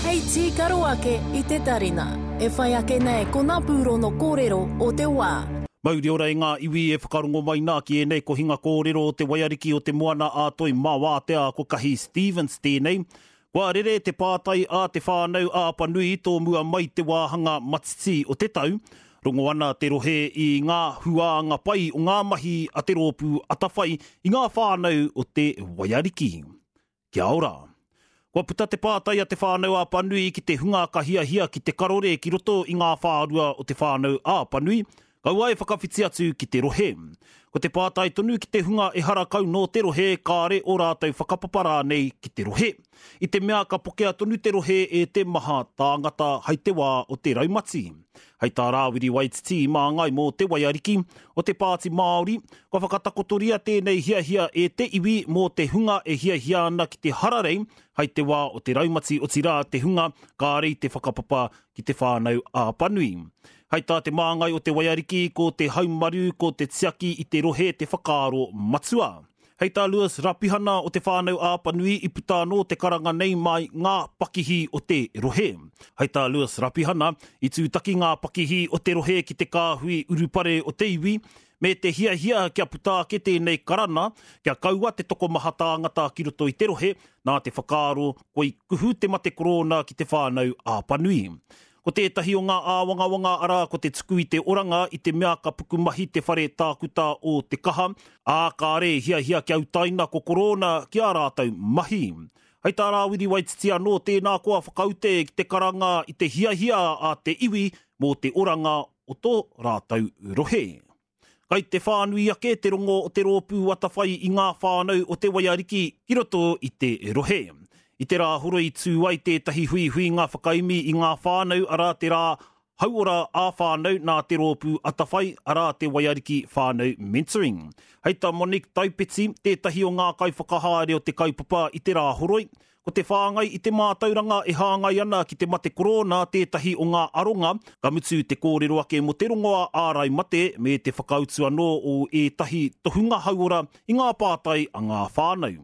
Hei tīkaro ake i te tarina. E whai ake nei ko ngā pūrono kōrero o te wā. Mauri ora e ngā iwi e whakarongo mai nā ki ēnei kohinga kōrero o te waiariki o te Moana a Toi mā Wātea ko Kahi Stevens tēnei. Kua rere te pātai a Te Whānau a Apanui tō mua mai te wāhanga matiti o te tau. Rongo ana te rohe i ngā huānga pai o ngā mahi a te rōpū atawhai i ngā whānau o te Waiariki. Kia ora. Kua puta te pātai a Te Whānau a Apanui ki te hunga ka hiahia ki te karore ki roto i ngā whārua o Te Whānau a Apanui, Kaua e whakawhiti atu ki te rohe. Ko te pātai tonu ki te hunga ehara kau nō te rohe kāre ō rātou whakapapa rānei ki te rohe. I te mea ka pokea tonu te rohe e te maha tāngata hai te wā o te raumati. Hai tā Rāwiri Waititi māngai mō Te Waiariki o te Pāti Māori, kua whakatakotoria tēnei hiahia e te iwi mō te hunga e hiahia ana ki te hararei hai te wā o te raumati otirā te hunga kāre i te whakapapa ki Te Whānau Āpanui. Hai tā te māngai o Te Waiariki, ko te haumaru, ko te tiaki i te rohe te whakaaro matua. Hei tā Lewis Rapihana o Te Whānau Āpanui i puta anō te karanga nei mai ngā pakihi o te rohe. Hei tā Lewis Rapihana, i tūtaki ngā pakihi o te rohe ki te kāhui urupare o te iwi, me te hiahia kia puta ake tēnei karana, kia kaua te tokomaha tāngata ki roto i te rohe, nā te whakaaro koi kuhu te mate korōna ki Te Whānau Āpanui. Ko tētahi o ngā āwangawanga arā ko te tuku i te oranga i te mea ka pukumahi te whare tākuta o Te Kaha, ā, kāre e hiahia kia utaina ko korōna ki ā rātou mahi. Hei tā Rāwiri Waititi anō, tēnā koa whakaute ki te karanga i te hiahia a te iwi mō te oranga o tō rātou rohe. Kai te whānui ake te rongo o te rōpū atawhai i ngā whānau o Te Waiariki ki roto i te rohe. I te Rāhoroi tū ai tētahi huihuinga whakaemi i ngā whānau arā te Rā Hauora ā-Whānau nā te rōpū atawhai arā Te Waiariki Whānau Mentoring. Hei tā Monique Taipeti, tētahi o ngā kaiwhakahaere o te kaupapa i te Rāhoroi, Ko te whāngai i te mātauranga e hāngai ana ki te mate korōna tētahi o ngā aronga, ka mutu te kōrero ake mō te rongoā ārai mate me te whakautu anō o ētahi tohunga hauora i ngā pātai a ngā whānau.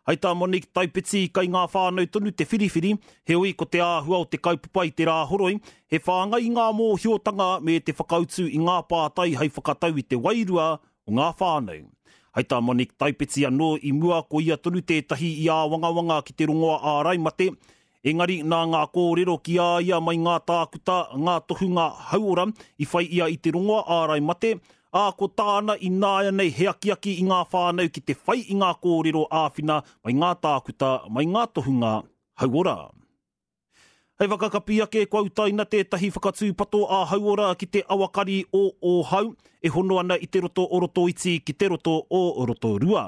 Hai tā Monique Taipeti, kai ngā whānau tonu te whiriwhiri, heoi ko te āhua o te kaupapa i te Rāhoroi, he whāngai i ngā mōhiotanga me te whakautu i ngā pātai hai whakatau i te wairua o ngā whānau. Hai tā Monique Taipeti anō i mua ko ia tonu tētahi i āwangawanga ki te rongoa ārai mate, engari nā ngā kōrero ki a ia mai ngā tākuta, ngā tohunga hauora i whai ia i te rongoa ārai mate, ā, ko tāna ināianei he akiaki i ngā whānau ki te whai i ngā kōrero āwhina mai ngā tākuta, mai ngā tohunga hauora. Hei whakakapi ake, kua utaina tētahi whakatūpato ā-hauora ki te awakari o Ōhau, e hono ana i te roto o Rotoiti ki te roto o Rotorua.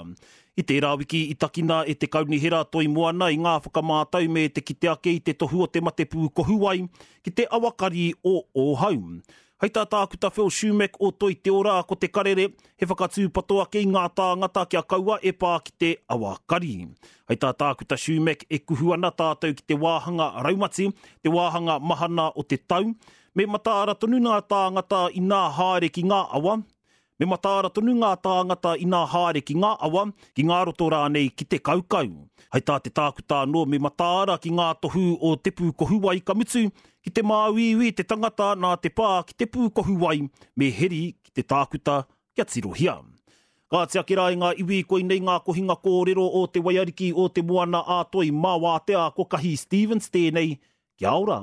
I tērā wiki i takina e te Kaunihera Toi Moana i ngā whakamātau me te kite ake i te tohu o te mate pūkohuwai ki te awakari o Ōhau. Hei tā Tākuta Phil Shumack o Toi Te Ora ko te karere, he whakatūpato ake i ngā tāngata kia kaua e pā ki te awa kari. Hei tā Tākuta Shumack e kuhu ana tātou ki te wāhanga raumati, te wāhanga mahana o te tau, me mataara tonu ngā tāngata inā haere ki ngā awa, Me mataara tonu ngā tāngata inā haere ki ngā awa, ki ngā roto rānei ki te kaukau. Hei tā te tākuta anō me mataara ki ngā tohu o te pūkohuwai ka mutu, ki te māuiui te tangata nā te pā ki te pūkohuwai me heri ki te tākuta kia tirohia. Kāti ake rā e ngā iwi koinei ngā kohinga kōrero o Te Waiariki o Te Moana-a-Toi mā Wātea ko Kahi Stevens tēnei, kia ora!